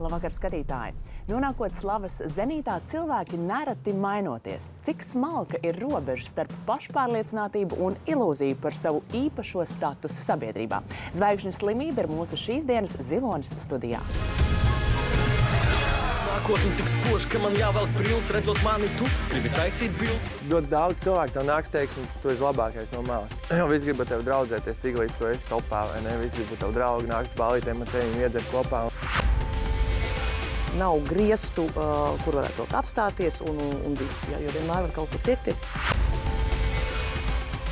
Labvakar, skatītāji! Nonākot slavas zenītā, cilvēki nereti mainoties. Cik smalka ir robeža starp pašpārliecinātību un ilūziju par savu īpašo statusu sabiedrībā? Zvaigžņu slimība ir mūsu šīs dienas Zilonis studijā. Nākotni tik spoži, ka man jāvelk brīlis, redzot mani, tu gribi taisīt bildes. Ļoti daudz cilvēku tev nāks teiks, un tu esi labākais no malas. Jo visi grib ar tevi draudzēties, tik līdz tu esi topā, vai ne? Visi grib ar tevi draugi, nāks balītēm ar tevi iedzert kopā. Nav griestu, kur varētu apstāties un viss, jo vienmēr var kaut kur tiekties.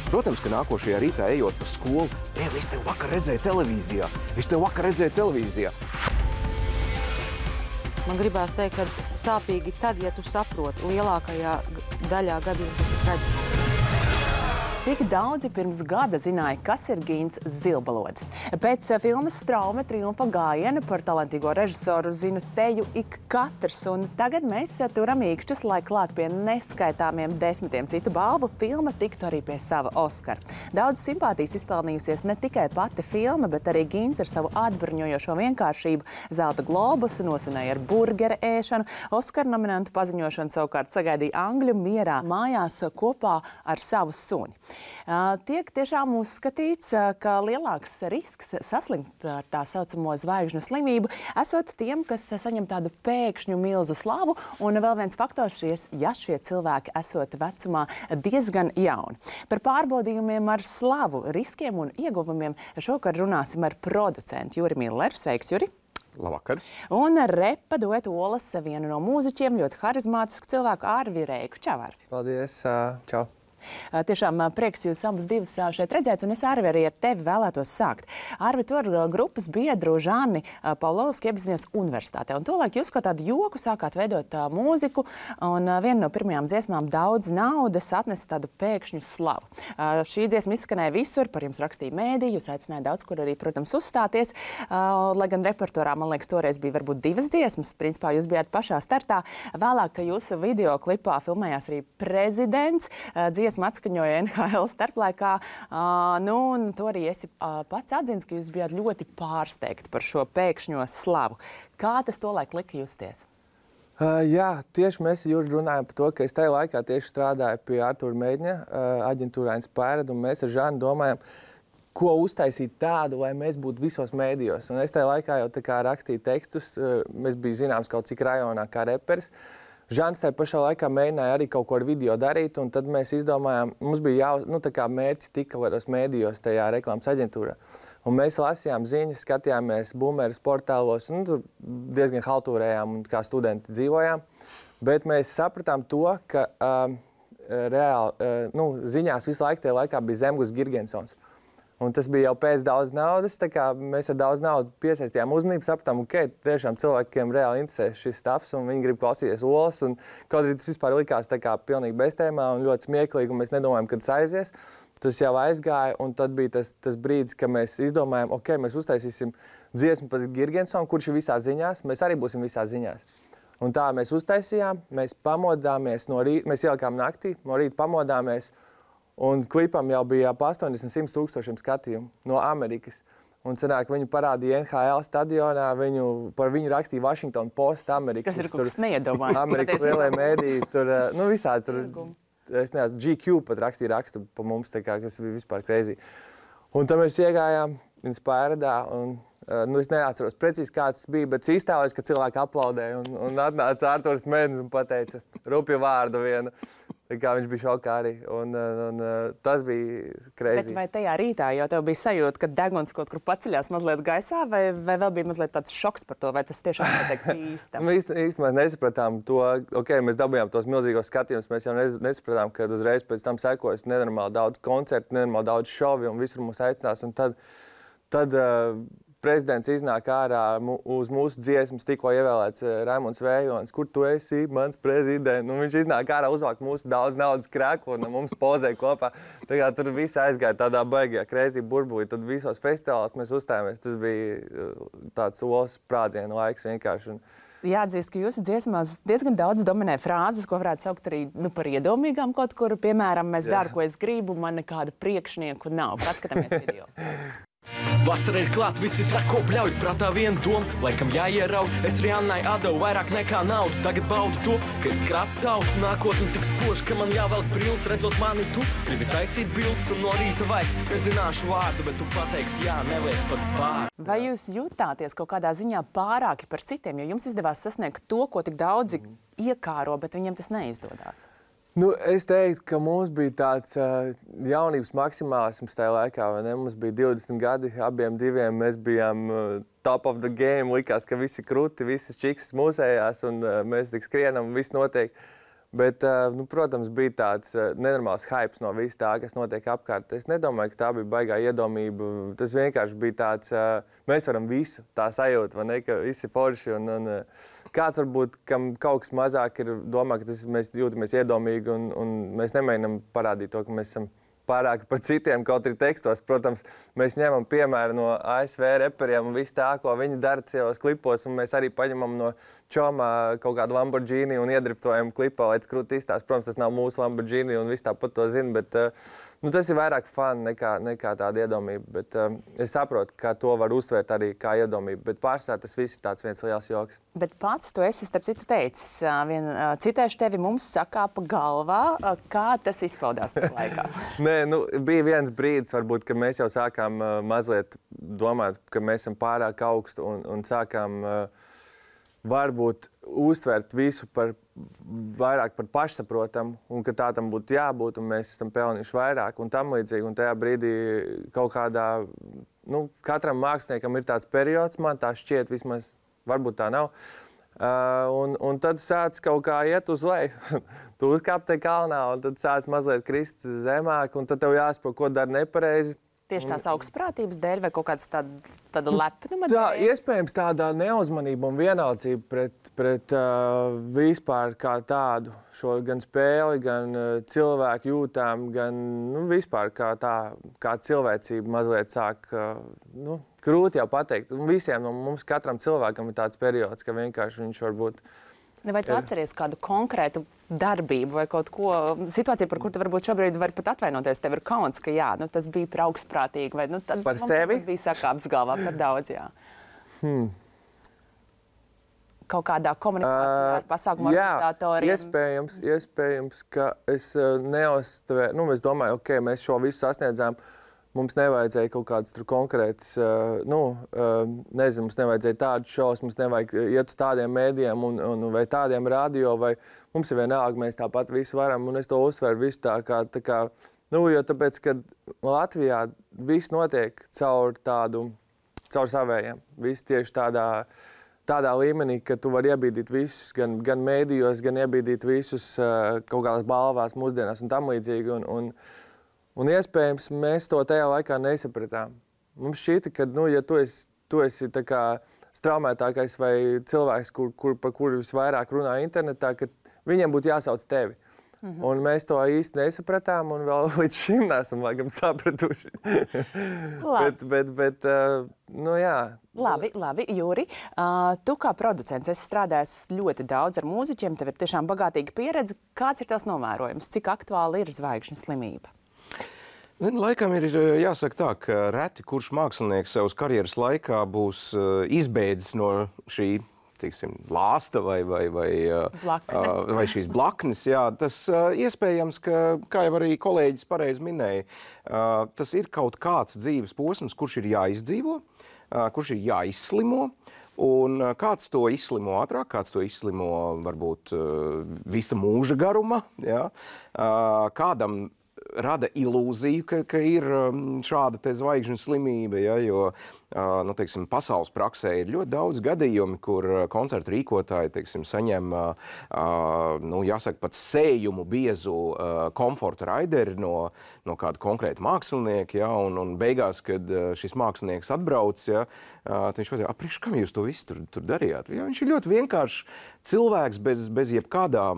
Protams, ka nākošajā rītā ejot pa skolu, es tev vakar redzēju televīzijā. Man gribās teikt, ka sāpīgi tad, ja tu saproti, lielākajā daļā gadījumā tas ir traģiski. Cik daudzi pirms gada zināja, kas ir Gins Zilbalodis? Pēc filmas Straume triumfa gājiena par talantīgo režisoru zinu teju ik katrs, un tagad mēs turam īkšķus, lai klāt pie neskaitāmiem 10 citu balvu filma tiktu arī pie sava Oskara. Daudz simpātijas izpelnījusies ne tikai pati filma, bet arī Gins ar savu atbruņojošo vienkāršību Zelta globusu nosvinēja ar burgera ēšanu. Oskara nominantu paziņošanu savukārt sagaidīja Angļu mierā mājās kopā ar savu suni. Tiek tiešām uzskatīts, ka lielāks risks saslimt ar tā saucamo zvaigžņu slimību esot tiem, kas saņem tādu pēkšņu milzu slavu, un vēl viens faktors ir, ja šie cilvēki esot vecumā diezgan jauni. Par pārbaudījumiem ar slavu, riskiem un ieguvumiem šovakar runāsim ar producentu Juri Milleru. Sveiks, Juri! Labvakar. Un repa duetu Olas vienu no mūziķiem, ļoti harizmātisku cilvēku Arvi Reiku. Čau, Arvi! Paldies, čau! Tiešām prieks jūs abus divus šeit redzēt, un es, Arvi, arī ar tevi vēlētos sākt. Arvi, tu ar grupas biedru Žani Pavlovsku iepazinies universitātē, un tolaik jūs kā tādu joku sākāt veidot mūziku, un viena no pirmajām dziesmām Daudz naudas atnesa tādu pēkšņu slavu. Šī dziesma izskanēja visur, par jums rakstīja mēdī, jūs aicināja daudz kur arī, protams, uzstāties, lai gan repertuārā, man liekas, toreiz bija varbūt 2 dziesmas, principā jūs bijāt pašā startā. Vēlāk, ka jūsu videoklipā filmējās arī prezidents, dziesma atskaņoja NHL starplaikā, un to arī esi pats atzins, ka jūs bijāt ļoti pārsteigti par šo pēkšņo slavu. Kā tas tolaik lika justies? Jā, tieši mēs Juri runājam par to, ka es tajā laikā tieši strādāju pie Artūra Meidņa, aģentūrā Inspired, un mēs ar Žanu domājam, ko uztaisīt tādu, lai mēs būtu visos mēdījos. Un es tajā laikā jau tā kā rakstīju tekstus, mēs biju zināms kaut cik rajonā kā reperis. Žans tajā pašā laikā mēģināja arī kaut ko ar video darīt, un tad mēs izdomājām, mums bija mērķis tika varos mēdījos tajā reklāmas aģentūrā. Un mēs lasījām ziņas, skatījāmies boomeras portālos, un tur diezgan haltūrējām un kā studenti dzīvojām. Bet mēs sapratām to, ka reāli, ziņās visu laiku tajā laikā bija Zemgus Girgensons. Un tas bija jau pēc Daudz naudas, tā kā mēs ar Daudz naudu piesaistījām uzmanību, sapratām, tiešām cilvēkiem reāli interesē šis stāvs, un viņi grib klausīties Olas, un kaut arī tas vispār likās tā kā pilnīgi beztēmā un ļoti smieklīgi, un mēs nedomājam, kad tas aizies. Tas jau aizgāja, un tad bija tas brīdis, ka mēs izdomājām, mēs uztaisīsim dziesmu par Girgensonu, kurš ir visās ziņās, mēs arī būsim visās ziņās. Un tā mēs uztaisījām, mēs pamodāmies no rīta, mēs ielikām naktī, no rīta pamodāmies, un klipam jau bija 80–100 tūkstošiem skatījumu no Amerikas. Un sanāk, viņu parādīja NHL stadionā, par viņu rakstīja Washington Post, Amerikas. Kas ir kaut kas neiedomājams. Amerikas lielie mēdīji, tur, visādi tur, es nezinu, GQ pat rakstīja rakstu pa mums, tā kā, kas bija vispār crazy. Un tad mēs iegājām Inspiredā, un es neatceros precīzi, kā tas bija, bet iztēlojas, ka cilvēki aplaudēja, un atnāca Artūrs Meidņs un pateica rupju vārdu vienu. Kā viņš bija šokā arī, un tas bija crazy. Bet vai tajā rītā jau tev bija sajūta, ka deguns kaut kur paceļās mazliet gaisā, vai vēl bija mazliet tāds šoks par to, vai tas tiešām notiek īstam? Īstenībā mēs nesapratām to, mēs dabījām tos milzīgos skatījumus, mēs jau nesapratām, ka uzreiz pēc tam sekojas nenormāli daudz koncertu, nenormāli daudz šovi, un visur mūs aicinās, un tad prezidents iznāk ārā uz mūsu dziesmas, tikko ievēlēts Raimonds Vējons, kur tu esi, mans prezidents, un viņš iznāk ārā uzvāk mūsu Daudz naudas krēklu, un mums pozē kopā. Tā kā tur viss aizgāja tādā baigajā crazy burbulī, tad visos festivālos mēs uzstājāmies, tas bija tāds Olas sprādzienu laiks vienkārši. Jāatzīst, ka jūsu dziesmās diezgan daudz dominē frāzes, ko varētu saukt arī par iedomīgām kaut kur. Piemēram, es daru, ko es gribu, man nekādu priekšnieku nav. Paskatāmies video. Vasara ir klāt, visi trako bļauj, prātā vien doma, laikam jāieraud. Es Riannai atdevu vairāk nekā naudu, tagad baudu to, ka es kratautu. Nākotni tik spoži, ka man jāvelk brīlis, redzot mani tu. Gribi taisīt bildes un no rīta vairs nezināšu vārdu, bet tu pateiksi jā, neliek pat pār. Vai jūs jutāties kaut kādā ziņā pārāki par citiem, jo jums izdevās sasniegt to, ko tik daudzi iekāro, bet viņiem tas neizdodas? Nu, es teiktu, ka mums bija tāds jaunības maksimālisms tajā laikā, vai ne? Mums bija 20 gadi, abiem diviem mēs bijām top of the game, likās, ka visi kruti, visas čiksas mūsējās un mēs tik skrienam, viss notiek. Bet, nu, protams, bija tāds nenormāls hypes no viss tā, kas notiek apkārt. Es nedomāju, ka tā bija baigā iedomība. Tas vienkārši bija tāds, mēs varam visu, tā sajūta, vai ne, ka visi forši. Un kāds varbūt, kam kaut kas mazāk ir domā, ka mēs jūtamies iedomīgi un mēs nemēģinām parādīt to, ka mēs esam pārāk par citiem, kaut arī tekstos. Protams, mēs ņemam piemēru no ASV reperiem un visu tā, ko viņi dara savos klipos, un mēs arī paņemam no Čomā kaut kādu Lamborghini un iedriftojam klipā, lai tas krūti izstāst. Protams, tas nav mūsu Lamborghini un viss tāpat to zina, bet nu, tas ir vairāk fun nekā tāda iedomība. Bet es saprotu, ka to var uztvērt arī kā iedomību, bet pārsvarā tas viss ir tāds viens liels joks. Bet pats tu esi, starp citu, teicis, citēšu tevi, mums sakāpa galvā, kā tas izpaudās tajā laikā? Nē, nu, bija viens brīdis, varbūt, ka mēs jau sākām mazliet domāt, ka mēs esam pārāk augstu un sākām varbūt uztvert visu vairāk par pašsaprotamu un ka tā tam būtu jābūt un mēs esam pelnījuši vairāk un tam līdzīgi. Un tajā brīdī kaut kādā, nu, katram māksliniekam ir tāds periods, man tā šķiet vismaz, varbūt tā nav. Un tad sāc kaut kā iet uz leju. Tu uzkāp te kalnā un tad sāc mazliet krist zemāk un tad tev jāsaprot, ko dari nepareizi. Tieši tās augstprātības dēļ vai kaut kāds tāda lepnuma dēļ? Tā, iespējams tādā neuzmanība un vienaldzība pret vispār kā tādu šo gan spēli, gan cilvēku jūtām, gan nu, vispār kā cilvēcība mazliet sāk, nu, grūti jau pateikt. Un visiem no mums, katram cilvēkam ir tāds periods, ka vienkārši viņš varbūt vai tu atceries kādu konkrētu darbību vai kaut ko, situāciju, par kur tu varbūt šobrīd vari pat atvainoties, tev ir kauns, ka jā, nu, tas bija par augstprātīgi, vai nu, tad par sevi? Bija sakāps galvā par daudz, jā. Kaut kādā komunikācijā ar pasākumu organizatoriem? Iespējams, ka es neuztvēru, nu, es domāju, ok, mēs šo visu sasniedzām, mums nevajadzēja kaut kādas tur konkrētas, nezinu, mums nevajadzēja tādu šovus, mums nevajag iet uz tādiem mēdījiem vai tādiem radio, vai mums ir vienalga, mēs tāpat visu varam, un es to uzsveru visu tā kā, nu, jo tāpēc, ka Latvijā viss notiek caur savējiem, viss tieši tādā līmenī, ka tu vari iebīdīt visus, gan mēdījos, gan iebīdīt visus kaut kādās balvās mūsdienās un tam līdzīgi, un iespējams, mēs to tajā laikā nesapratām. Mums šķita, ka, nu, ja tu esi tā kā straumētākais vai cilvēks, par kuru visvairāk runā internetā, ka viņiem būtu jāsauc tevi. Un mēs to īsti nesapratām un vēl līdz šim neesam laikam sapratuši. bet, nu jā. Labi, Jūri. Tu kā producents esi strādājis ļoti daudz ar mūziķiem, tev ir tiešām bagātīga pieredze. Kāds ir tās novērojums? Cik aktuāli ir zvaigžņu slimība? Laikam ir jāsaka tā, ka reti kurš mākslinieks savas karjeras laikā būs izbēdzis no šī, teiksim, lāsta vai šīs blaknes. Jā, tas iespējams, ka, kā jau arī kolēģis pareizi minēja, tas ir kaut kāds dzīves posms, kurš ir jāizdzīvo, kurš ir jāizslimo. Un kāds to izslimo ātrāk, kāds to izslimo varbūt visa mūža garumā, jā, kādam rada ilūziju, ka ir šāda te zvaigžņu slimība, ja, jo, nu, teiksim, pasaules praksē ir ļoti daudz gadījumi, kur koncertu rīkotāji, teiksim, saņem, nu, jāsaka, pat sējumu biezu komforta raideri no kāda konkrēta mākslinieka, ja, un beigās, kad šis mākslinieks atbrauc, ja, viņš pateica, priekš kam jūs to visu tur darījāt? Ja, viņš ir ļoti vienkāršs cilvēks bez jebkādām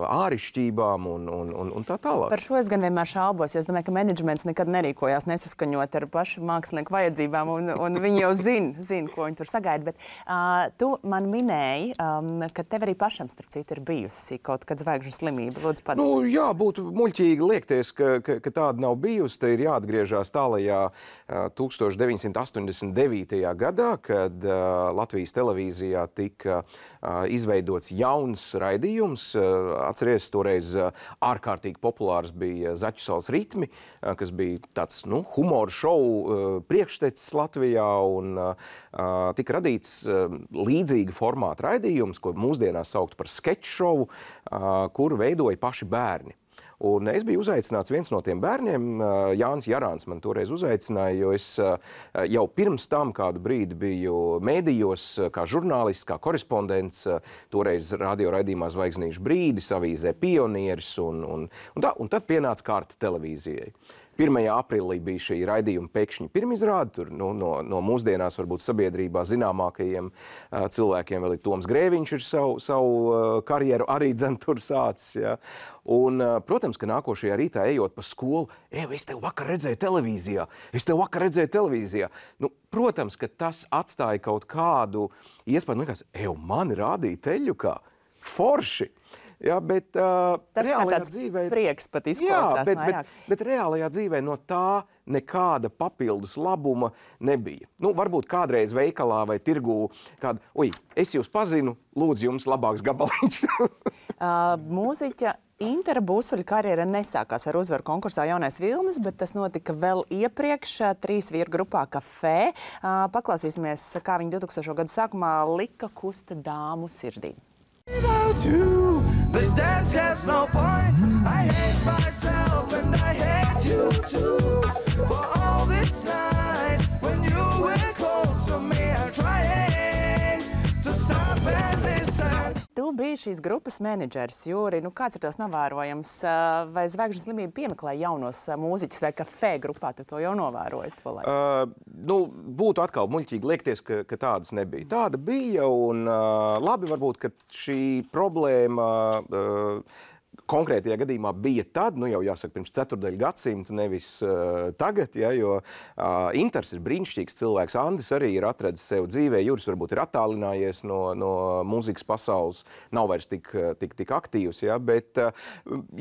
ārišķībām un tā tālāk. Par šo es gan vienmēr šaubos, jo es domāju, ka menedžments nekad nerīkojās nesaskaņot ar pašu mākslinieku vajadzībām, un viņi jau zina, ko viņi tur sagaida. Bet tu man minēji, ka tev arī pašam, starp citu, ir bijusi kaut kad zvaigžņu slimība. Lūdzu, Nu, jā, būtu muļķīgi liekties, ka ka tāda nav bijusi, te ir jāatgriežās tālajā 1989. gadā, kad Latvijas televīzijā tika izveidots jauns raidījums. Atceries, toreiz ārkārtīgi populārs bija Zaķu salas ritmi, kas bija tāds humora šovu priekštecis Latvijā, un tika radīts līdzīga formāta raidījums, ko mūsdienās saukt par skeču šovu, kuru veidoja paši bērni. Un es biju uzaicināts viens no tiem bērniem, Jānis Jarāns man toreiz uzaicināja, jo es jau pirms tam kādu brīdi biju mēdījos kā žurnālists, kā korespondents, toreiz radio raidījumā Zvaigznīšu brīdis, avīzē Pionieris, un tad pienāca kārta televīzijai. 1. aprīlī bija šī raidījuma pēkšņi pirmizrāde, tur no mūsdienās varbūt sabiedrībā zināmākajiem cilvēkiem vēl ir Toms Grēviņš ir savu karjeru arī tur sācis. Ja. Un, protams, ka nākošajā rītā ejot pa skolu, es tev vakar redzēju televīzijā. Protams, ka tas atstāja kaut kādu iespēju, likās, mani rādīja teļukā, forši. Jā, bet reālajā dzīvē prieks pat izklausās vairāk. Bet reālajā dzīvē no tā nekāda papildus labuma nebija. Varbūt kādreiz veikalā vai tirgū kādu, es jūs pazinu, lūdzu jums labāks gabaliņš. Mūziķa Intera Būsuļa karjera nesākās ar uzvaru konkursā Jaunais vilnis, bet tas notika vēl iepriekš 3 vīru grupā Kafē. Paklausīsimies, kā viņi 2000. gadu sākumā lika kusta dāmu sirdī. Without you, this dance has no point. I hate myself and I hate you too. For all this night, when you were cold to me, I'm trying to stop and listen. Tu biji šīs grupas menedžers, Jūri. Kāds ir tos novērojams? Vai Zvaigžņu slimība piemeklē jaunos mūziķus vai Kafē grupā? Tu to jau novēroji? Būtu atkal muļķīgi liekties, ka tādas nebija. Tāda bija, un labi varbūt, ka šī problēma konkrētajā gadījumā bija tad, jau jāsaka, pirms 4. gadsimta, nevis tagad, jo Inters ir brīnišķīgs cilvēks, Andis arī ir atradis sev dzīvē, Juris varbūt ir attālinājies no mūzikas pasaules, nav vairs tik aktīvs, bet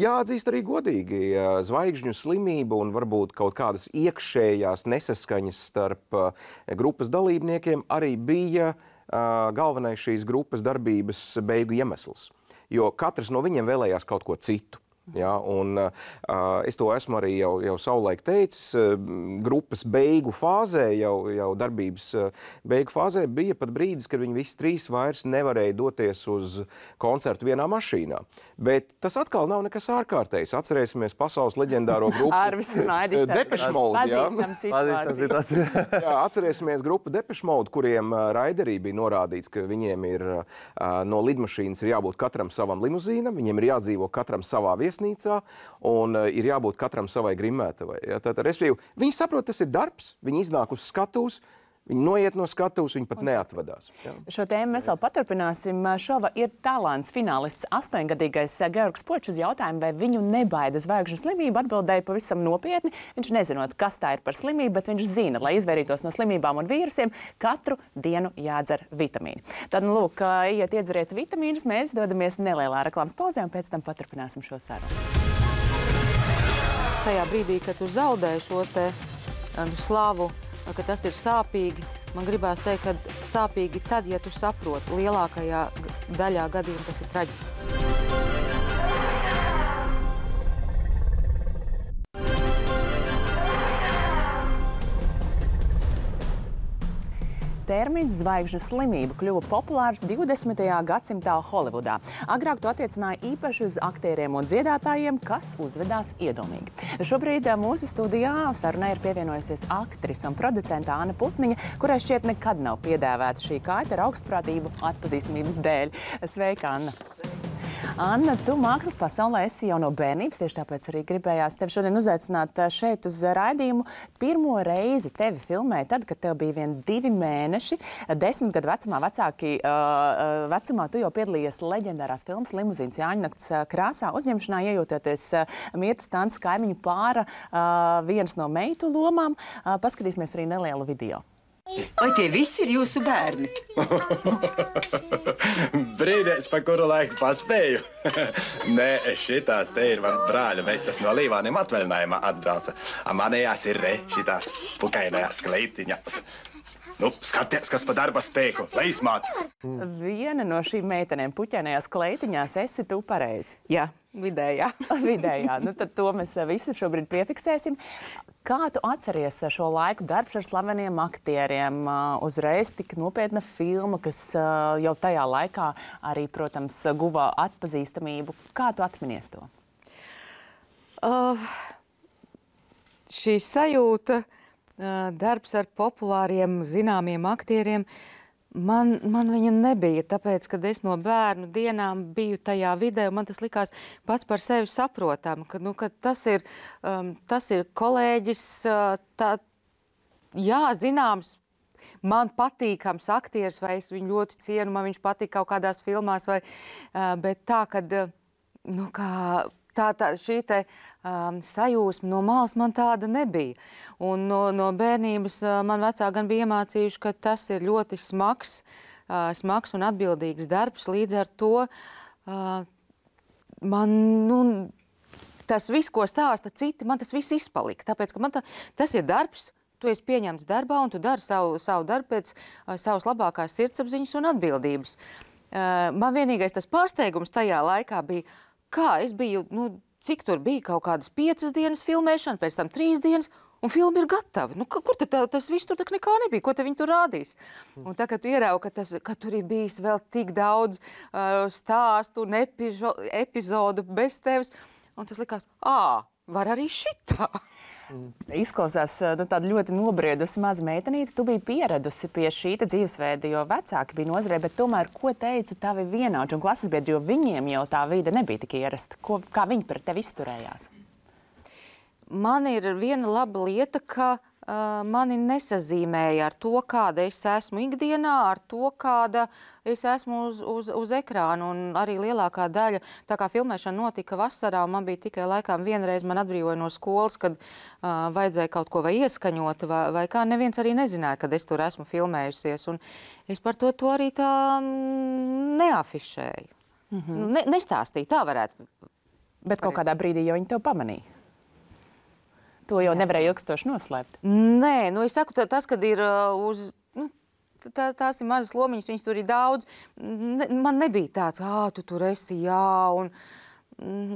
jāatzīst arī godīgi, Zvaigžņu slimība un varbūt kaut kādas iekšējās nesaskaņas starp grupas dalībniekiem arī bija galvenais šīs grupas darbības beigu iemesls. Jo katrs no viņiem vēlējās kaut ko citu. Ja, un es to esmu arī jau savulaik teicis, grupas beigu fāzē, jau darbības beigu fāzē bija pat brīdis, kad viņi visi 3 vairs nevarēja doties uz koncertu vienā mašīnā. Bet tas atkal nav nekas ārkārtējs. Atcerēsimies pasaules leģendāro grupu Arvis Snaidis. Depeche Mode. Pazīstam situāciju. Jā, atcerēsimies grupu Depeche Mode, kuriem raiderī bija norādīts, ka viņiem ir no lidmašīnas ir jābūt katram savam limuzīnam, viņiem ir jādzīvo katram savā viesnīcā un ir jābūt katram savai grimētavai. Ja, respektīvi, viņi saprot, tas ir darbs, viņi iznāk uz skatuves, viņi noiet no skatuves, viņi pat neatvadās. Ja. Šo tēmu mēs vēl paturpināsim. Šova ir talants finālists 8-gadīgais Georgs Počs uz jautājumu, vai viņu nebaida Zvaigžņu slimība, atbildēja pavisam nopietni. Viņš nezinot, kas tā ir par slimību, bet viņš zina, lai izvairītos no slimībām un vīrusiem, katru dienu jādzer vitamīni. Tad, lūk, iet iedzeriet vitamīnus, mēs dodamies nelielā reklāmas pauzē un pēc tam paturpināsim šo sarunu. Tajā brīdī, kad tu zaudēji šo te slavu, ka tas ir sāpīgi, man gribās teikt, ka sāpīgi tad, ja tu saproti, lielākajā daļā gadījumā tas ir traģiski. Termins zvaigžņu slimība kļuva populārs 20. gadsimtā Holivudā. Agrāk to attiecināja īpaši uz aktieriem un dziedātājiem, kas uzvedās iedomīgi. Šobrīd mūsu studijā sarunai ir pievienojusies aktrise un producente Anna Putniņa, kurai šķiet nekad nav piedēvēta šī kaita ar augstprātību atpazīstamības dēļ. Sveika, Anna! Anna, tu mākslas pasaulē esi jau no bērnības, tieši tāpēc arī gribējās tevi šodien uzaicināt šeit uz raidījumu. Pirmo reizi tevi filmēja tad, kad tev bija vien 2 mēneši. 10 gadu vecumā tu jau piedalījies leģendārās filmas Limuzīnas Jāņnakts krāsā, uzņemšanā iejūtoties Mirtas Tantes kaimiņu pāra vienas no meitu lomām. Paskatīsimies arī nelielu video. Vai tie visi ir jūsu bērni? Brīdēs, pa kuru laiku paspēju. Nē, šitās te ir man brāļa meitnes no Līvāniem atvaļinājumā atbrauca. Manējās ir šitās pukainajās kleitiņās. Nu, skaties, kas pa darba spēku, leismāt. Viena no šīm meitenēm puķainajās kleitiņās esi tu pareizi. Jā, vidējā. Vidējā. Nu, tad to mēs visu šobrīd piefiksēsim. Kā tu atceries šo laiku darbs ar slaveniem aktieriem? Uzreiz tik nopietna filma, kas jau tajā laikā arī, protams, guva atpazīstamību. Kā tu atminies to? Šī sajūta, darbs ar populāriem, zināmiem aktieriem, man viņa nebija, tāpēc, kad es no bērnu dienām biju tajā vidē, man tas likās pats par sevi saprotam, ka tas ir kolēģis, zināms, man patīkams aktieris, vai es viņu ļoti cienu, man viņš patīk kaut kādās filmās, bet tā, kad, šī te sajūsma no malas man tāda nebija. Un no bērnības man vecāki gan bija iemācījuši, ka tas ir ļoti smags un atbildīgs darbs. Līdz ar to man, tas viss, ko stāsta citi, man tas viss izpalika. Tāpēc, ka man tas ir darbs, tu esi pieņemts darbā un tu dari savu darbu pēc savas labākās sirdsapziņas un atbildības. Man vienīgais tas pārsteigums tajā laikā bija, kā es biju, cik tur bija kaut kādas 5 dienas filmēšana, pēc tam 3 dienas, un filma ir gatava. Kur tad tas viss tur tak nekā nebija? Ko te viņi tur rādīs? Un tā, kad tu ieraugi, ka tur ir bijis vēl tik daudz stāstu un epizodu bez tevis, un tas likās, var arī šitā. Izklausās tāda ļoti nobriedusi maza meitenīte. Tu biji pieradusi pie šī dzīvesveida, jo vecāki bija nozarē, bet tomēr, ko teica tavi vienaudži un klases biedri, jo viņiem jau tā vide nebija tik ierasta. Kā viņi par tevi izturējās? Man ir viena laba lieta, ka mani nesazīmēja ar to, kāda es esmu ikdienā, ar to, kāda es esmu uz ekrāna. Un arī lielākā daļa, tā kā filmēšana notika vasarā, man bija tikai laikām vienreiz man atbrīvoja no skolas, kad vajadzēja kaut ko vai ieskaņot, vai kā neviens arī nezināja, kad es tur esmu filmējusies. Un es par to arī tā neafišēju. Nestāstīju, tā varētu. Bet kaut kādā brīdī jau viņi tev pamanīja. To jau nevarēja ilgstoši noslēpt. Nē, es saku, tas, kad ir tās ir mazas lomiņas, viņas tur ir daudz. Man nebija tāds, tu tur esi, un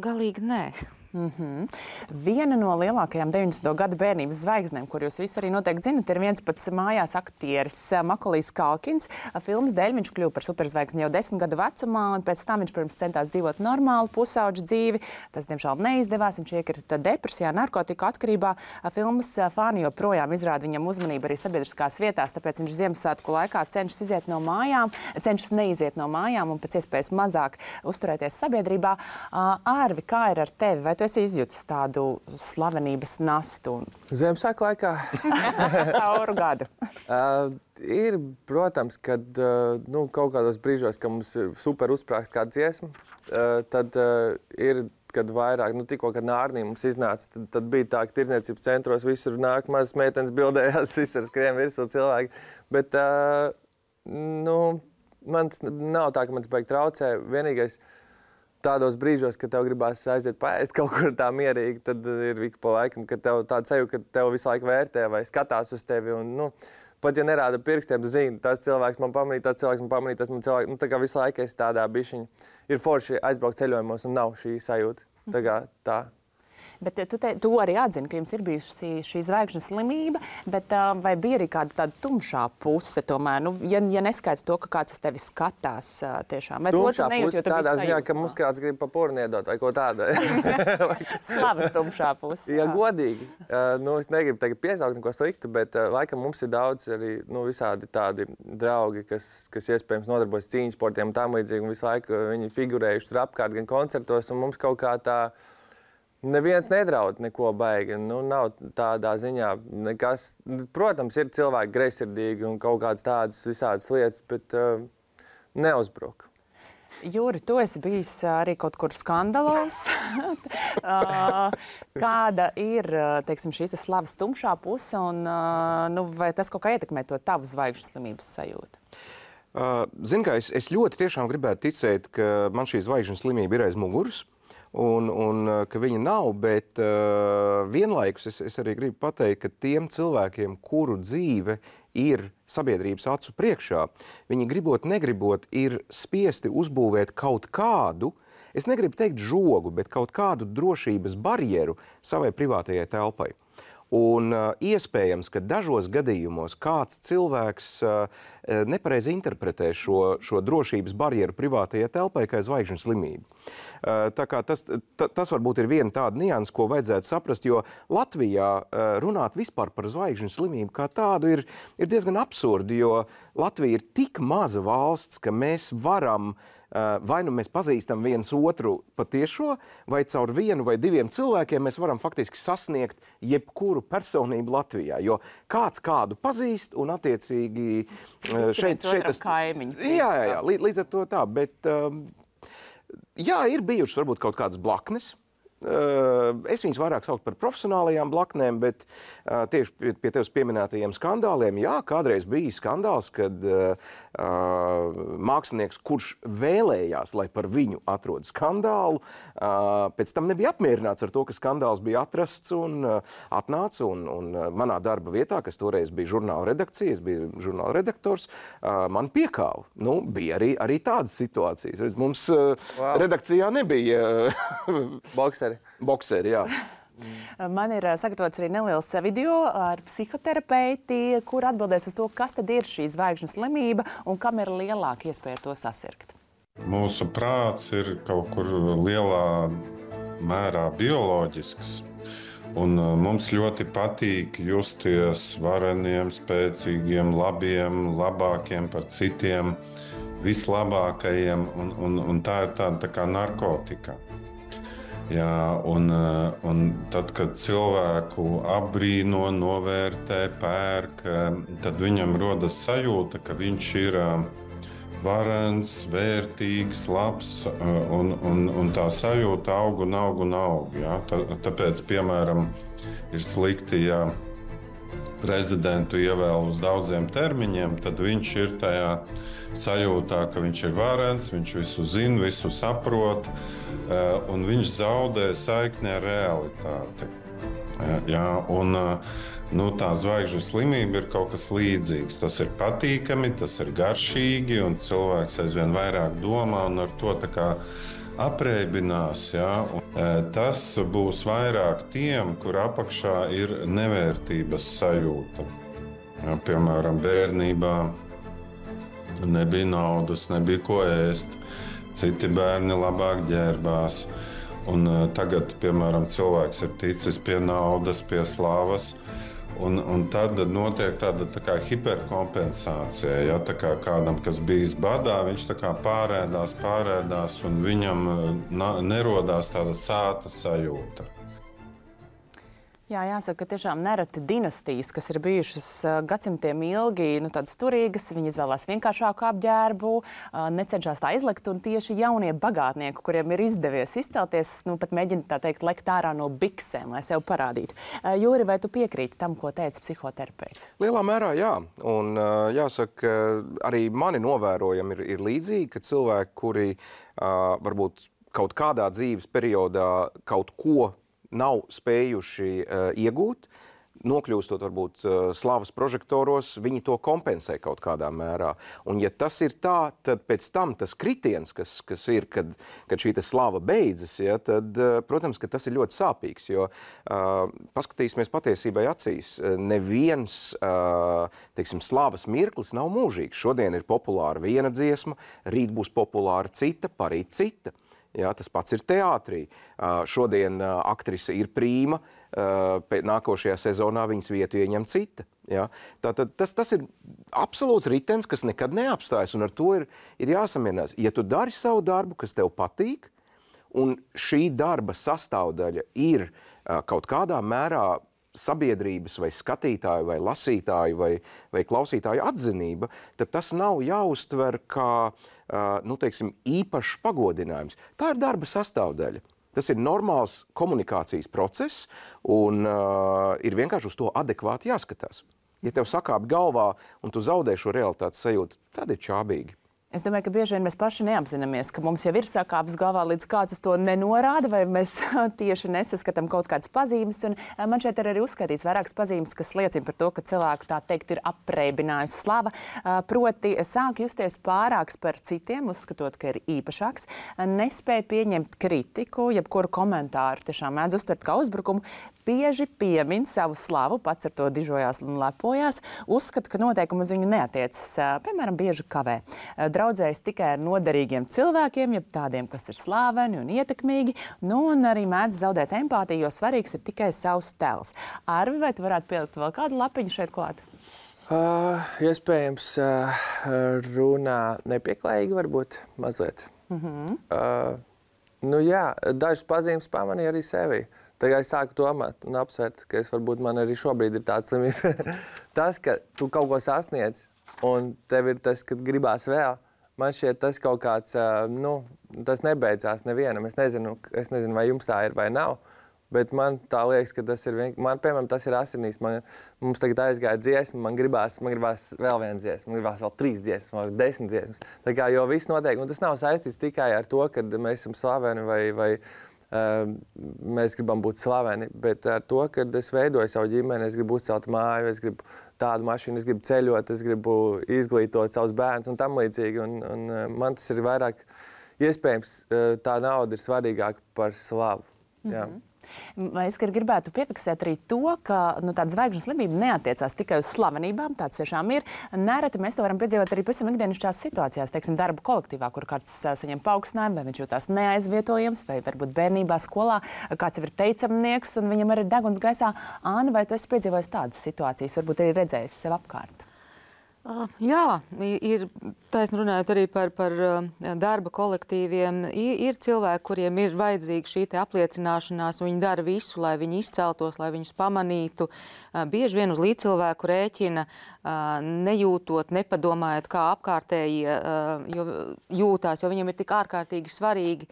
galīgi nē. Viena no lielākajām 90. gadu bērnības zvaigznēm, kur jūs visi arī noteikti zinat, ir viens pats mājās aktieris Makolijs Kalkins. Filmas dēļ viņš kļuva par superzvaigzni jau 10 gadu vecumā, un pēc tam viņš, protams, centās dzīvot normālu pusauģu dzīvi. Tas, diemžēl, neizdevās. Viņš iekrita depresijā, narkotiku atkarībā. Filmas fani joprojām izrāda viņam uzmanību arī sabiedriskās vietās, tāpēc viņš Ziemassvētku laikā cenšas neiziet no mājām un pēc iespējas mazāk uzturēties sabiedrībā. Ārvi, kā ir ar tevi? Vai tu esi izjutis tādu slavenības nastu? Ziemassvētku laikā? Cauru gadu. Ir, protams, kad kaut kādos brīžos, kad mums ir super uzsprāgst kāda dziesma, tad ir, kad vairāk, tikko, kad Nārnī mums iznāca, tad bija tā, ka tirdzniecības centros visur nāk mazas meitenes bildējās, visur skrien virsū cilvēki. Bet, man nav tā, ka man tas baigi traucē. Vienīgais, tādos brīžos, kad tev gribās aiziet paēst kaut kur tā mierīgi, tad ir ik pa laikam, kad tev tāda sajūta, ka tev visu laiku vērtē vai skatās uz tevi. Un, pat ja nerāda pirkstiem, tu zini, tas cilvēks man pamanīja, tas cilvēks man pamanīja, tas man cilvēks. Tā kā visu laiku es tādā bišķiņa. Ir forši aizbraukt ceļojumos un nav šī sajūta. Tā kā tā. Bet tu arī atzini, ka jums ir bijusi šī zvaigžņu slimība, bet vai bija arī kāda tāda tumšā puse tomēr? Ja neskaita to, ka kāds uz tevi skatās tiešām. Vai tumšā puse tādā ziņā, ka mums kāds grib pa porni iedot vai ko tādu. Slavas tumšā puse. Ja godīgi. Es negribu tagad piesaukt neko sliktu, bet laikam mums ir daudz arī visādi tādi draugi, kas iespējams nodarbojas cīņas sportiem un tam līdzīgi. Un visu laiku viņi figurējuši tur apkārt gan koncertos, un mums kaut kā tā neviens nedraud neko baigi. Nav tādā ziņā nekas. Protams, ir cilvēki greizsirdīgi un kaut kādas tādas visādas lietas, bet neuzbruk. Jūri, tu esi bijis arī kaut kur skandalos. Kāda ir, teiksim, šīs slavas tumšā puse un vai tas kaut kā ietekmē to tavu zvaigžņu slimības sajūtu? Zini, kā es ļoti tiešām gribētu ticēt, ka man šī zvaigžņu slimība ir aiz muguras. Un ka viņa nav, bet vienlaikus es arī gribu pateikt, ka tiem cilvēkiem, kuru dzīve ir sabiedrības acu priekšā, viņi gribot, negribot, ir spiesti uzbūvēt kaut kādu, es negribu teikt žogu, bet kaut kādu drošības barjeru savai privātajai telpai. Un iespējams, ka dažos gadījumos kāds cilvēks nepareizi interpretē šo drošības barjeru privātajai telpai kā zvaigžņu slimību. Tā kā tas varbūt ir viena tāda nianse, ko vajadzētu saprast, jo Latvijā runāt vispār par zvaigžņu slimību kā tādu ir diezgan absurdi, jo Latvija ir tik maza valsts, ka mēs varam vai nu mēs pazīstam viens otru patiešo, vai caur vienu vai diviem cilvēkiem mēs varam faktiski sasniegt jebkuru personību Latvijā, jo kāds kādu pazīst un attiecīgi šeit tas kaimiņu. Jā, līdz ar to tā, bet jā, ir bijušas varbūt kaut kādas blaknes. Es viņus vairāk saucu par profesionālajām blaknēm, bet tieši pie tevis pieminētajiem skandāliem, jā, kādreiz bija skandāls, kad mākslinieks, kurš vēlējās, lai par viņu atrod skandālu, pēc tam nebija apmierināts ar to, ka skandāls bija atrasts un atnāca, un manā darba vietā, kas toreiz bija žurnāla redakcija, es biju žurnāla redaktors, man piekāva. Nu, bija arī tādas situācijas. Mums redakcijā nebija bokseri, jā. Man ir sagatavots arī neliels video ar psihoterapeiti, kur atbildēs uz to, kas tad ir šī zvaigžņu slimība un kam ir lielāka iespēja to sasirgt. Mūsu prāts ir kaut kur lielā mērā bioloģisks. Un mums ļoti patīk justies vareniem, spēcīgiem, labiem, labākiem par citiem, vislabākajiem. Un tā ir tāda tā kā narkotika. Jā, un tad, kad cilvēku apbrīno, novērtē, pērk, tad viņam rodas sajūta, ka viņš ir varens, vērtīgs, labs, un tā sajūta aug. Jā. Tāpēc, piemēram, ir slikti, ja prezidentu ievēl uz daudziem termiņiem, tad viņš ir tajā sajūtā, ka viņš ir varens, viņš visu zina, visu saprot, un viņš zaudē saikni ar realitāti. Jā, un tā zvaigžņu slimība ir kaut kas līdzīgs. Tas ir patīkami, tas ir garšīgi, un cilvēks aizvien vairāk domā un ar to tā kā apreibinās. Jā. Tas būs vairāk tiem, kur apakšā ir nevērtības sajūta. Jā, piemēram, bērnībā nebija naudas, nebija ko ēst. Citi bērni labāk ģērbās. Un tagad, piemēram, cilvēks ir ticis pie naudas, pie slavas. Un tad notiek tāda tā kā hiperkompensācija. Ja? Tā kā kādam, kas bijis badā, viņš tā kā pārēdās, un viņam nerodās tāda sāta sajūta. Jā, jāsaka, ka tiešām nereti dinastijas, kas ir bijušas gadsimtiem ilgi, tādas turīgas, viņi izvēlās vienkāršāku apģērbu, necenšas tā izlikt, un tieši jaunie bagātnieki, kuriem ir izdevies izcelties, pat mēģina tā teikt, lekt ārā no biksēm, lai sev parādītu. Jūri, vai tu piekrīti tam, ko teica psihoterapeits? Lielā mērā jā, un jāsaka, arī mani novērojami ir līdzīgi, ka cilvēki, kuri varbūt kaut kādā dzīves periodā kaut ko nav spējuši iegūt, nokļūstot varbūt slavas prožektoros, viņi to kompensē kaut kādā mērā. Un ja tas ir tā, tad pēc tam tas kritiens, kas ir, kad šī slava beidzas, ja, tad, protams, ka tas ir ļoti sāpīgs, jo paskatīsimies patiesībai acīs. Neviens, teiksim, slavas mirklis nav mūžīgs. Šodien ir populāra viena dziesma, rīt būs populāra cita, parīt cita. Jā, tas pats ir teātrī. Šodien aktrise ir prīma, nākošajā sezonā viņas vietu ieņem cita. Jā. Tātad tas ir absolūts ritenis, kas nekad neapstājas, un ar to ir jāsamierinās. Ja tu dari savu darbu, kas tev patīk, un šī darba sastāvdaļa ir kaut kādā mērā sabiedrības vai skatītāju vai lasītāju vai klausītāju atzinība, tad tas nav jāuztver kā, nu, teiksim, īpašs pagodinājums. Tā ir darba sastāvdaļa. Tas ir normāls komunikācijas process un ir vienkārši uz to adekvāti jāskatās. Ja tev sakāp galvā un tu zaudē šo realitātes sajūtu, tad ir čābīgi. Es domāju, ka bieži vien mēs paši neapzināmies, ka mums jau ir sakāpes galvā, līdz kāds uz to nenorāda, vai mēs tieši nesaskatām kaut kādas pazīmes. Un man šeit ir arī uzskaitīts vairākas pazīmes, kas liecina par to, ka cilvēku, tā teikt, ir apreibinājusi slava. Proti, sāk justies pārāks par citiem, uzskatot, ka ir īpašāks, nespēja pieņemt kritiku, jebkuru komentāru tiešām mēdz uztvert kā uzbrukumu, bieži piemin savu slavu, pats ar to dižojās un lepojās, uzskata, ka noteikumi uz viņu neatiecas, piemēram, bieži kavē. Draudzējas tikai ar noderīgiem cilvēkiem, jeb tādiem, kas ir slāveni un ietekmīgi, nu un arī mēdz zaudēt empātiju, jo svarīgs ir tikai savs tēls. Arvi, vai tu varētu pielikt vēl kādu lapiņu šeit klāt? Iespējams, runā nepieklājīgi varbūt mazliet. Nu jā, dažas pazīmes pamanīja arī sevi. Tagad es sāku domāt un apsvērt, ka varbūt man arī šobrīd ir tāds slimība. Tas, ka tu kaut ko sasniedz un tev ir tas, ka gribās vēl, man šķiet tas kaut kāds, nu, tas nebeidzās nevienam. Es nezinu, vai jums tā ir vai nav, bet man tā liekas, ka tas ir man, piemēram, tas ir asinīs. Mums tagad aizgāja dziesma, man gribās vēl vienu dziesmu, man gribās vēl 3 dziesmas, vēl 10 dziesmas. Tā kā jo viss notiek, un tas nav saistīts tikai ar to, ka mēs esam slaveni vai mēs gribam būt slaveni, bet ar to, ka es veidoju savu ģimeni, es gribu uzcelt māju, es gribu tādu mašīnu, es gribu ceļot, es gribu izglītot savus bērnus un tam līdzīgi. Un man tas ir vairāk iespējams, tā nauda ir svarīgāka par slavu. Jā. Es gribētu piefiksēt arī to, ka tāda zvaigžņu slimība neatiecās tikai uz slavenībām, tāds tiešām ir. Nereti mēs to varam piedzīvot arī pavisam ikdienišķās situācijās, teiksim, darba kolektīvā, kur kāds saņem paaugstinājumu, vai viņš jūtās neaizvietojams, vai varbūt bērnībā skolā kāds jau ir teicamnieks un viņam arī deguns gaisā. Āna, vai tu esi piedzīvojis tādas situācijas, varbūt arī redzējis sev apkārt? Jā, ir taisni runājot arī par darba kolektīviem. Ir cilvēki, kuriem ir vajadzīga šī apliecināšanās, un viņi dara visu, lai viņi izceltos, lai viņus pamanītu. Bieži vien uz līdzcilvēku rēķina, nejūtot, nepadomājot, kā apkārtēji jūtās, jo viņiem ir tik ārkārtīgi svarīgi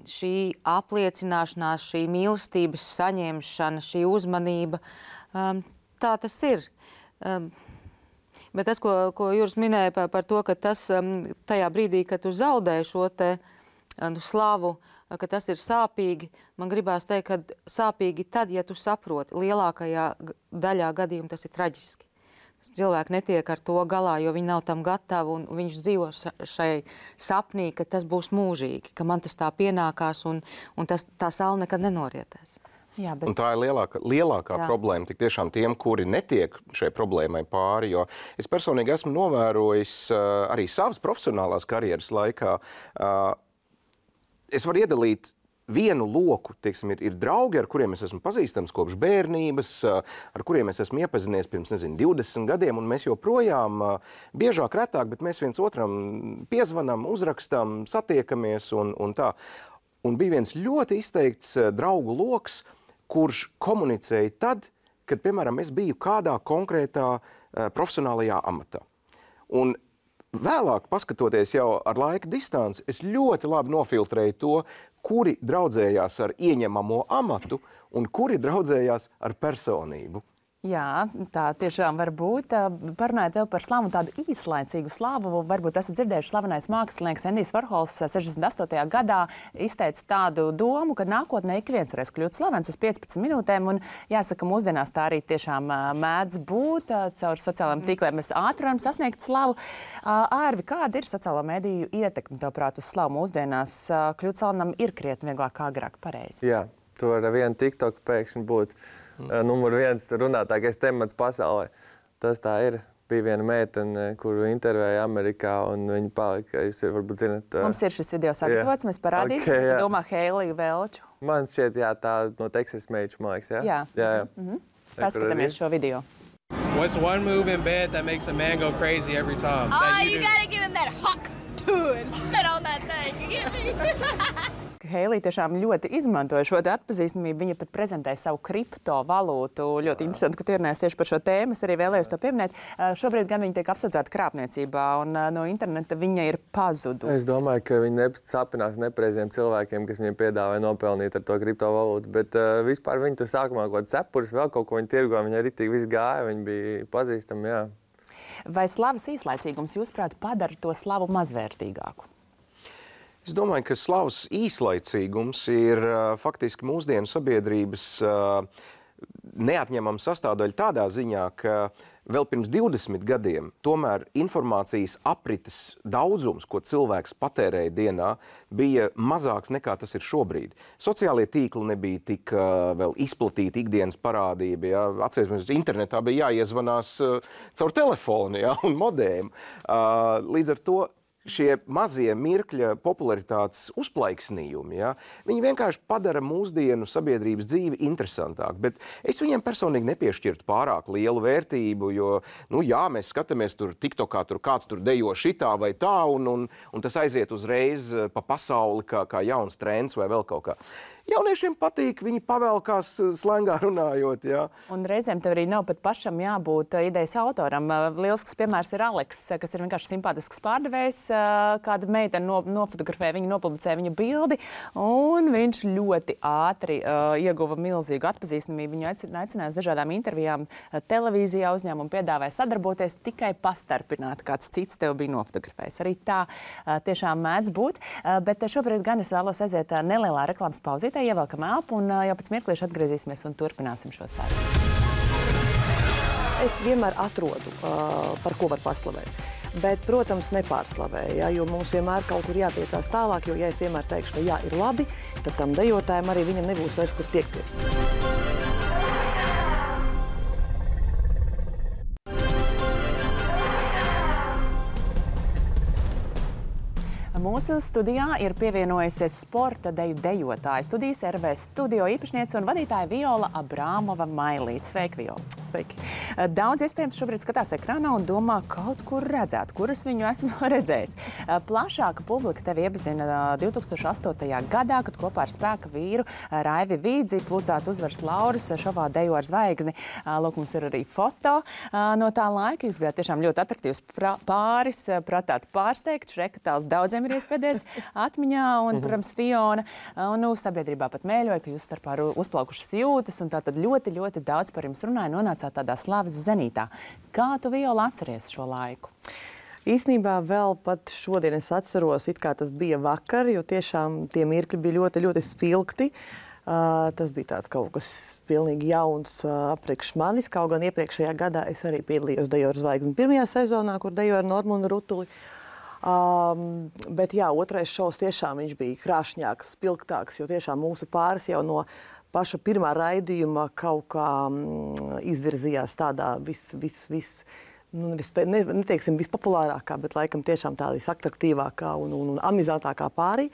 šī apliecināšanās, šī mīlestības saņemšana, šī uzmanība. Tā tas ir. Bet tas, ko Juris minēja par to, ka tas tajā brīdī, kad tu zaudē šo te slavu, ka tas ir sāpīgi, man gribās teikt, ka sāpīgi tad, ja tu saproti, lielākajā daļā gadījumu tas ir traģiski. Cilvēki netiek ar to galā, jo viņi nav tam gatavi, un viņš dzīvo šai sapnī, ka tas būs mūžīgi, ka man tas tā pienākās, un tā saule nekad nenorietēs. Jā, bet... Un tā ir lielākā problēma tik tiešām tiem, kuri netiek šai problēmai pāri, jo es personīgi esmu novērojis arī savas profesionālās karjeras laikā. Es varu iedalīt vienu loku, teiksim, ir draugi, ar kuriem es esmu pazīstams kopš bērnības, ar kuriem es esmu iepazinies pirms, 20 gadiem, un mēs joprojām biežāk, retāk, bet mēs viens otram piezvanam, uzrakstam, satiekamies un tā. Un bija viens ļoti izteikts draugu loks, kurš komunicēja tad, kad, piemēram, es biju kādā konkrētā profesionālajā amatā. Un vēlāk, paskatoties jau ar laika distanci, es ļoti labi nofiltrēju to, kuri draudzējās ar ieņemamo amatu un kuri draudzējās ar personību. Jā, tā tiešām var būt. Parunājot vēl par slavu, tādu īslaicīgu slavu, varbūt esat dzirdējuši slavenais mākslinieks Endijs Varhols 68. gadā izteica tādu domu, ka nākotnē ik viens varēs kļūt slavens uz 15 minūtēm, un jāsaka, mūsdienās tā arī tiešām mēdz būt. Caur sociālajiem tīkliem mēs ātri varam sasniegt slavu. Ārvi, kāda ir sociālo mediju ietekme, tavuprāt, uz slavu mūsdienās? Kļūt slavenam ir krietni vieglāk kā agrāk, pareizi? Jā, tu ar vienu TikTok pēkšņi būt numur 1 runātākais temats pasaulē. Tas tā ir. Bija viena meitene, kuru intervēja Amerikā, un viņa palika, jūs varbūt zināt... Mums ir šis video sagatavots, mēs parādīsim. Okay, tu domā Heiliju Velču? Man šķiet, jā, tā no Texas meiču, man liekas, jā? Jā. Paskatāmies šo video. What's one move in bed that makes a man go crazy every time? Oh, you gotta give him that huck to and spit on that thing. You get me? Heilija tiešām ļoti izmantoja šo atpazīstamību. Viņa pat prezentēja savu kriptovalūtu. Ļoti interesanti, ka tu ierunājies tieši par šo tēmu. Es arī vēlējos to pieminēt. Šobrīd gan viņa tiek apsūdzēta krāpniecībā, un no interneta viņa ir pazudusi. Es domāju, ka viņi sapinās nepareiziem cilvēkiem, kas viņiem piedāvāja nopelnīt ar to kriptovalūtu. Bet vispār viņi tur sākumā kaut kāds cepurs, vēl kaut ko viņi tirgoja. Viņi ritīgi viss gāja, viņi bija pazīstami, jā. Vai slavas īslaicīgums, jūsuprāt, padara to slavu mazvērtīgāku? Es domāju, ka slavas īslaicīgums ir faktiski mūsdienu sabiedrības neatņemama sastāvdaļa tādā ziņā, ka vēl pirms 20 gadiem tomēr informācijas aprites daudzums, ko cilvēks patērēja dienā, bija mazāks nekā tas ir šobrīd. Sociālie tīkli nebija tik vēl izplatīti ikdienas parādība. Ja? Atcerēsimies, internetā bija jāiezvanās caur telefonu, ja? Un modēm. Līdz ar to šie mazie mirkļa popularitātes uzplaiksnījumi, ja, viņi vienkārši padara mūsdienu sabiedrības dzīvi interesantāku. Bet es viņiem personīgi nepiešķirtu pārāk lielu vērtību, jo, jā, mēs skatāmies tur TikTokā, tur kāds tur dejo šitā vai tā, un tas aiziet uzreiz pa pasauli kā jauns trends vai vēl kaut kā. Jauniešiem patīk, viņi pavelkās slēngā runājot, jā. Un reizēm tev arī nav pat pašam jābūt idejas autoram. Lielisks piemērs ir Aleks, kas ir vienkārši simpātisks pārdevējs. Kāda meitene nofotografēja viņu, nopublicēja viņa bildi, un viņš ļoti ātri ieguva milzīgu atpazīstamību. Viņu aicināja uz dažādām intervijām televīzijā, uzņēmumu piedāvāja sadarboties, tikai pastarpināt, kāds cits tev bija nofotografējis. Arī tā tiešām mēdz būt, bet šobrīd gan es vēlos aiziet nelielā reklāmas pauzītē, ievelkam elpu un jau pēc mirklīša atgriezīsimies un turpināsim šo sarunu. Es vienmēr atrodu, par ko var paslavēt. Bet, protams, nepārslavēju, ja, jo mums vienmēr kaut kur jātiecās tālāk, jo, ja es vienmēr teikšu, ka jā, ir labi, tad tam dejotājiem arī viņam nebūs vairs, kur tiekties. Mūsu studijā ir pievienojusies sporta deju dejotāja studijas RV studio īpašniece un vadītāja Viola Abrāmova Mailīte. Sveiki, Viola! Sveiki! Daudz iespējams šobrīd skatās ekrānā un domā, kaut kur redzēt, kuras viņu esmu redzējis. Plašāka publika tevi iepazina 2008. gadā, kad kopā ar spēka vīru Raivi Vīdzi plūcāt uzvaras laurus šovā Dejo ar zvaigzni. Lūk, mums ir arī foto no tā laika. Jūs bijāt tiešām ļoti atraktīvs pāris, pratāt pārsteigt, Šrekatāls daudziem ir iespēdies atmiņā, un, protams, Fiona, un sabiedrībā pat mēļoja, ka jūs starpā uzplaukušas jūtas, un tātad ļoti, ļoti daudz par jums runāja, nonācāt tādā slavas zenītā. Kā tu, Viola, atceries šo laiku? Īsnībā vēl pat šodien es atceros, it kā tas bija vakar, jo tiešām tie mirkļi bija ļoti, ļoti spilgti. Tas bija tāds kaut kas pilnīgi jauns apriekš manis, kaut gan iepriekšējā gadā es arī piedalījos Dejo ar zvaigzni pirmajā sezonā, kur dejoju ar Normundu Rutuli. Bet jā, otrais šovs tiešām viņš bija krāšņāks, spilgtāks, jo tiešām mūsu pāris jau no paša pirmā raidījuma kaut kā izvirzījās tādā neteiksim vispopulārākā, bet laikam tiešām tā visatraktīvākā un amizantākā pārī.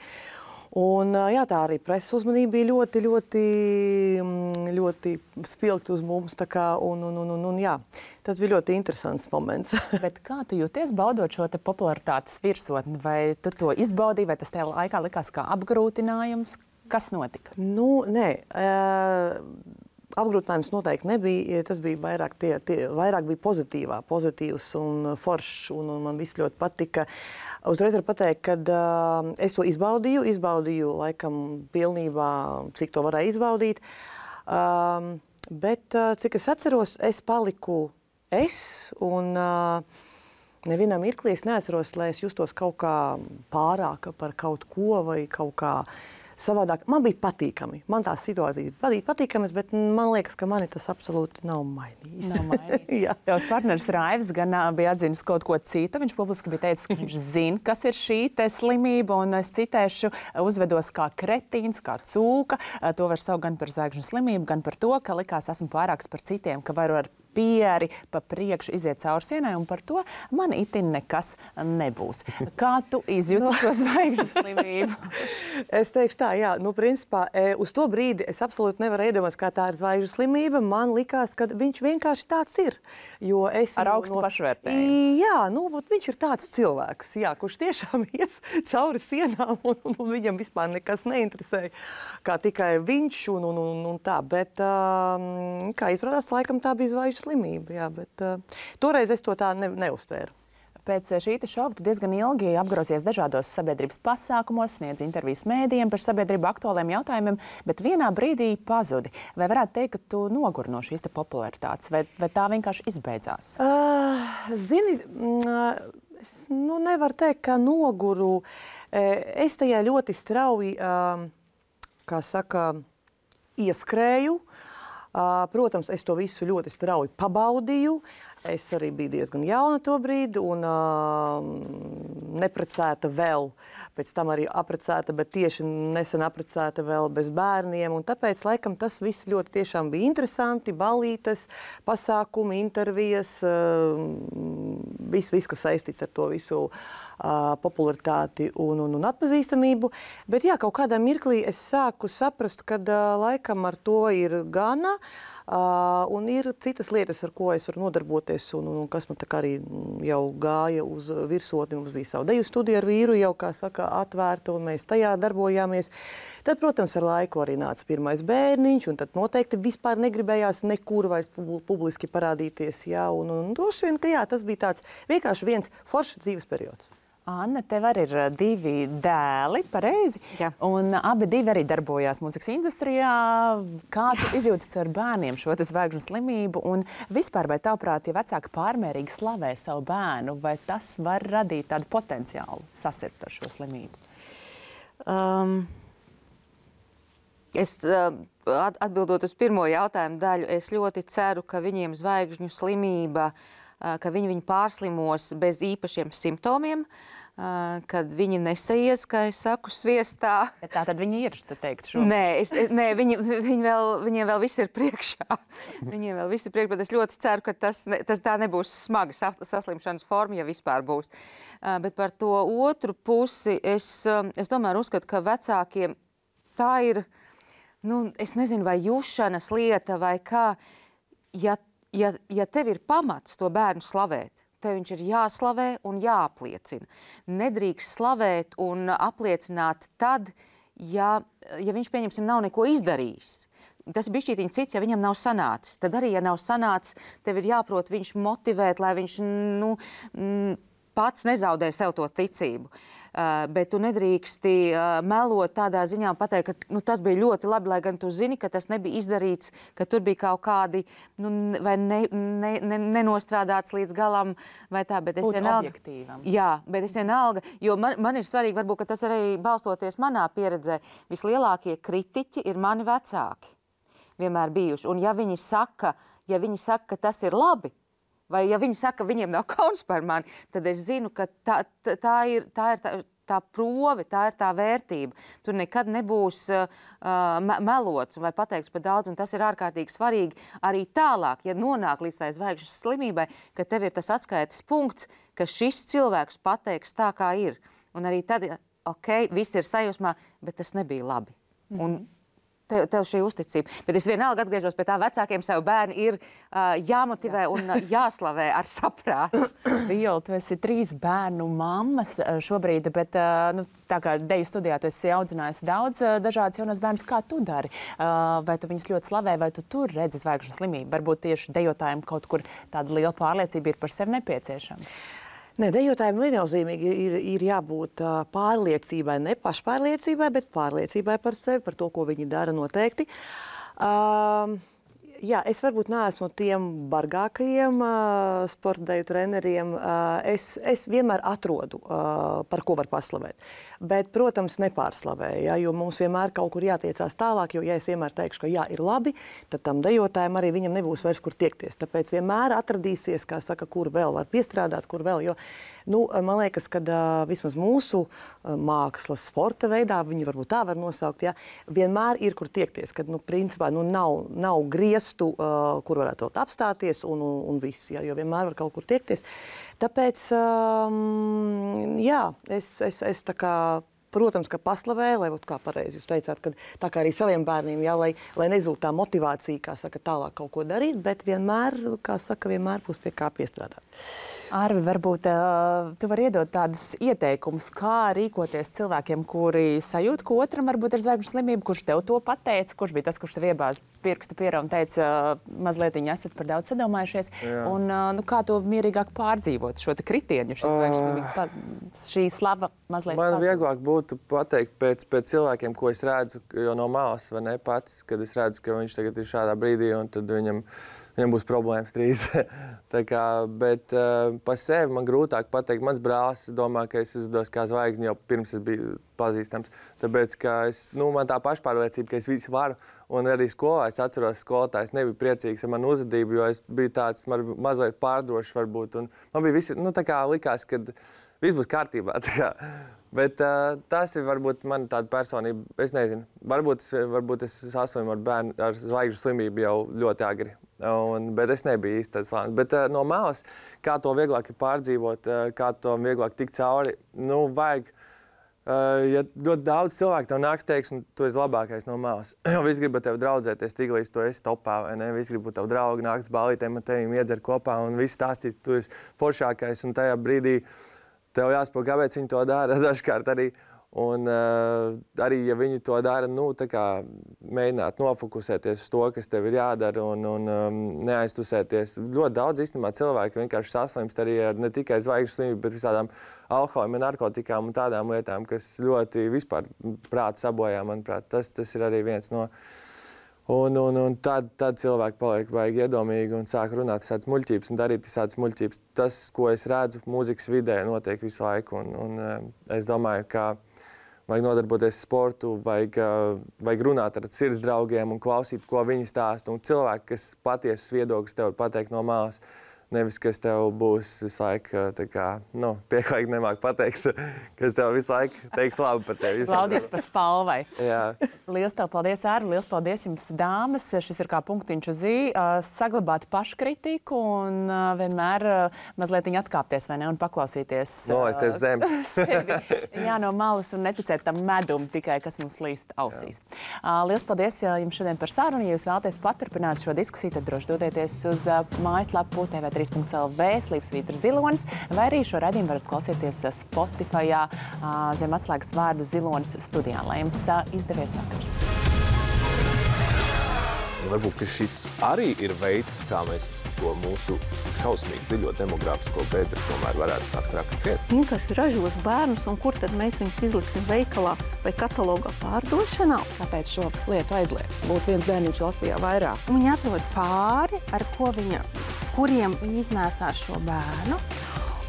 Un jā, tā arī preses uzmanība bija ļoti, ļoti, ļoti spilgta uz mums, tā kā, un jā, tas bija ļoti interesants moments. Bet kā tu jūties baudot šo te popularitātes virsotni? Vai tu to izbaudīji, vai tas tajā laikā likās kā apgrūtinājums? Kas notika? Nē, apgrūtinājums noteikti nebija. Tas bija vairāk bija pozitīvs un foršs, un man viss ļoti patika. Uzreiz var pateikt, ka es to izbaudīju laikam pilnībā, cik to varēja izbaudīt. Bet, cik es atceros, es paliku un nevienā mirklī es neatceros, lai es justos kaut kā pārāka par kaut ko vai kaut kā savādāk. Man bija patīkami. Man tās situācijas bija patīkamas, bet man liekas, ka mani tas absolūti nav mainījis. Tavs partneris Raivis gan bija atzinis kaut ko citu. Viņš publiski bija teicis, ka viņš zina, kas ir šī te slimība, un es citēšu, uzvedos kā kretīns, kā cūka. To var saukt gan par zvaigžņu slimību, gan par to, ka likās esmu pārāks par citiem, ka varu ar pieri, pa priekšu iziet cauri sienai, un par to man itin nekas nebūs. Kā tu izjūti šo zvaigžņu slimību? Es teikšu tā, jā, nu, principā, uz to brīdi es absolūti nevaru iedomāties, kā tā ir zvaigžņu slimība. Man likās, ka viņš vienkārši tāds ir. Jo es ar augstu pašvērtējumu. Jā, nu, viņš ir tāds cilvēks, jā, kurš tiešām ies cauri sienām, un viņam vispār nekas neinteresēja, kā tikai viņš un tā. Bet, kā izrādās, laikam tā bija zvaigžņu slimība, jā, bet toreiz es to tā neuztvēru. Pēc šī šova tu diezgan ilgi apgrozies dažādos sabiedrības pasākumos, sniedz intervijas mēdījiem par sabiedrību aktuāliem jautājumiem, bet vienā brīdī pazudi. Vai varētu teikt, ka tu noguri no šīs popularitātes, vai tā vienkārši izbeidzās? Zini, es nevaru teikt, ka noguru. Es tajā ļoti strauji, kā saka, ieskrēju. Protams, es to visu ļoti strauji pabaudīju. Es arī biju diezgan jauna to brīdi un neprecēta vēl. Pēc tam arī aprecēta, bet tieši nesen aprecēta vēl bez bērniem. Un tāpēc, laikam, tas viss ļoti tiešām bija interesanti. Ballītes, pasākumi, intervijas, viss, kas saistīts ar to visu popularitāti un atpazīstamību. Bet jā, kaut kādā mirklī es sāku saprast, ka laikam ar to ir gana. Un ir citas lietas, ar ko es varu nodarboties, un kas man tā kā arī jau gāja uz virsotni. Mums bija savu deju studija ar vīru, jau, kā saka, atvērta, un mēs tajā darbojāmies. Tad, protams, ar laiku arī nāca pirmais bērniņš, un tad noteikti vispār negribējās nekur vairs publiski parādīties. Jā, un droši vien, ka jā, tas bija tāds vienkārši viens foršs dzīves periods. Anna, tev arī ir 2 dēli, pareizi? Jā. Un abi arī darbojās mūzikas industrijā. Kā tu izjūti ar bērniem šo zvaigžņu slimību? Un vispār, vai tavuprāt, ja vecāki pārmērīgi slavē savu bērnu, vai tas var radīt tādu potenciālu sasirgt ar šo slimību? Atbildot uz pirmo jautājumu daļu, es ļoti ceru, ka viņiem zvaigžņu slimība, ka viņi pārslimos bez īpašiem simptomiem, kad viņi nesaies, kā es saku, sviestā. Tā tad viņi ir, tu teikt šo? Nē, viņiem vēl viss ir priekšā. Viņiem vēl viss ir priekšā, bet es ļoti ceru, ka tas tā nebūs smaga saslimšanas forma, ja vispār būs. Bet par to otru pusi es tomēr uzskatu, ka vecākiem tā ir, es nezinu, vai jušanas lieta vai kā, ja tev ir pamats to bērnu slavēt, tev viņš ir jāslavē un jāapliecina. Nedrīkst slavēt un apliecināt tad, ja viņš, pieņemsim, nav neko izdarījis. Tas ir bišķītiņ cits, ja viņam nav sanācis. Tad arī, ja nav sanācis, tev ir jāprot viņš motivēt, lai viņš pats nezaudē sev to ticību. Bet tu nedrīksti melot tādā ziņā un pateikt, ka tas bija ļoti labi, lai gan tu zini, ka tas nebija izdarīts, ka tur bija kaut kādi vai nenostrādāts līdz galam vai tā, bet es vienalga. Objektīvam. Jā, bet es vienalga, jo man ir svarīgi, varbūt, ka tas arī balstoties manā pieredzē, vislielākie kritiķi ir mani vecāki vienmēr bijuši. Un ja viņi saka, ka tas ir labi, vai ja viņi saka, ka viņiem nav kauns par mani, tad es zinu, ka tā ir tā prove, tā ir tā vērtība. Tur nekad nebūs melots vai pateikts par daudz, un tas ir ārkārtīgi svarīgi arī tālāk, ja nonāk līdz tai zvaigžņu slimībai, ka tev ir tas atskaites punkts, ka šis cilvēks pateiks tā, kā ir. Un arī tad, viss ir sajūsmā, bet tas nebija labi. Un tev šī uzticība. Bet es vienalga atgriežos pie tā, vecākiem savu bērnu ir jāmotivē un jāslavē ar saprātu. Viola, tu esi 3 bērnu mammas šobrīd, bet tā kā deju studijā tu esi audzinājusi daudz dažādas jaunas bērnus, kā tu dari? Vai tu viņus ļoti slavē, vai tu tur redzi zvaigžņu slimību? Varbūt tieši dejotājiem kaut kur tāda liela pārliecība ir par sevi nepieciešama. Nē, dejotājiem viennozīmīgi ir jābūt pārliecībai, ne pašpārliecībai, bet pārliecībai par sevi, par to, ko viņi dara noteikti. Jā, es varbūt neesmu tiem bargākajiem sporta deju treneriem. Es vienmēr atrodu, par ko var paslavēt. Bet, protams, nepārslavēju, ja, jo mums vienmēr kaut kur jātiecās tālāk, jo, ja es vienmēr teikšu, ka jā, ir labi, tad tam dejotājiem arī viņam nebūs vairs kur tiekties. Tāpēc vienmēr atradīsies, kā saka, kur vēl var piestrādāt, kur vēl, jo Nu, man liekas, ka vismaz mūsu mākslas, sporta veidā, viņi varbūt tā var nosaukt, ja, vienmēr ir, kur tiekties, kad, principā, nav griestu, kur varētu vēl apstāties un viss, ja, jo vienmēr var kaut kur tiekties. Tāpēc, jā, es tā kā, protams, ka paslavēju, lai, kā pareizi jūs teicāt, ka tā kā arī saviem bērniem, jā, lai nezūd tā motivācija, kā saka, tālāk kaut ko darīt, bet vienmēr, kā saka, vienmēr būs pie kā piestrādāt. Arvi, varbūt tu vari iedot tādus ieteikumus, kā rīkoties cilvēkiem, kuri sajūt, ka otram varbūt ir zvaigžņu slimība, kurš tev to pateica, kurš bija tas, kurš tev iebāz pirksta pierā un teica, mazlietiņi esat par daudz sadomājušies, un kā to mierīgāk pārdzīvot šo te kritienu, šī zvaigžņu slimība, šī slava mazliet Man pazūd. vieglāk būtu pateikt pēc cilvēkiem, ko es redzu, jo no malas, vai ne, pats, kad es redzu, ka viņš tagad ir šādā brīdī, un tad viņam būs problēmas drīz. Tā kā, bet par sevi man grūtāk pateikt. Mans brālis domā, ka es uzdos kā zvaigzni jau pirms es biju pazīstams. Tāpēc, ka man tā pašpārliecība, ka es visu varu. Un arī skolā es atceros, skolotājs nebija priecīgs ar manu uzvedību, jo es biju tāds mazliet pārdrošs varbūt. Un man bija visi, tā kā likās, ka viss būs kārtībā. Tā kā. Bet tas ir varbūt man tāda personība, es nezinu, varbūt es saslimu ar bērnu ar zvaigžņu slimību jau ļoti agri, bet es nebiju īsti tāds slānis. Bet no malas, kā to vieglāk ir pārdzīvot, kā to vieglāk tikt cauri, vajag, ja ļoti daudz cilvēku tev nāks teiks, un tu esi labākais no malas, jo visi grib ar tevi draudzēties, tik līdz tu esi topā, vai ne, visi grib ar tevi draugi, nāks ballītēm ar tevim iedzer kopā, un visi stāstīt, tu esi foršākais, un tajā brīdī tev jāsaprot, kāpēc viņi to dara dažkārt arī. Un arī, ja viņi to dara, tā kā mēģināt nofokusēties uz to, kas tev ir jādara un neaiztusēties. Ļoti daudz īstenībā cilvēki vienkārši saslimst arī ar ne tikai zvaigžņu slimību, bet visādām alkoholiem, narkotikām un tādām lietām, kas ļoti vispār prātu sabojā, manuprāt. Tas ir arī viens no. Un tad cilvēki paliek baigi iedomīgi un sāk runāt visādas muļķības un darīt visādas muļķības. Tas, ko es redzu mūzikas vidē, notiek visu laiku. Un es domāju, ka vajag nodarboties sportu, vajag runāt ar sirds draugiem un klausīt, ko viņi stāsta. Un cilvēki, kas patiesus viedokļus tev pateikt no malas, nevis, kas tev būs visu laiku, pieklājīgi nemāk pateikt, kas tev visu laiku teiks labi par tevi. Laudīs pa spalvai. Jā. Liels tev paldies, Ārvi, liels paldies jums, dāmas. Šis ir kā punktiņš uz i. Saglabāt paškritiku un vienmēr mazliet atkāpties, vai ne, un paklausīties Nolaisties zem. sevi. Jā, no malas un neticēt tam medum tikai, kas mums līst ausīs. Liels paldies jums šodien par sarunu. Ja jūs vēlaties paturpināt šo diskusiju, tad droši dodieties uz mājaslapu TV3.lv /Svītra Zilonis, vai arī šo raidījumu varat klausīties Spotifyā zem atslēgas vārda Zilonis studijā. Lai jums izdevies vakars. Varbūt, ka šis arī ir veids, kā mēs to mūsu šausmīgi dziļo demogrāfisko bedri tomēr varētu sākt rakciet. Vienkārši ražos bērnus, un kur tad mēs viņus izliksim veikalā vai katalogā pārdošanā? Kāpēc šo lietu aizliegt? Būtu viens bērniņš Latvijā vairāk. Viņi atrod pāri, ar kuriem viņi iznēsās šo bērnu,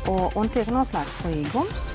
un tiek noslēgts līgums.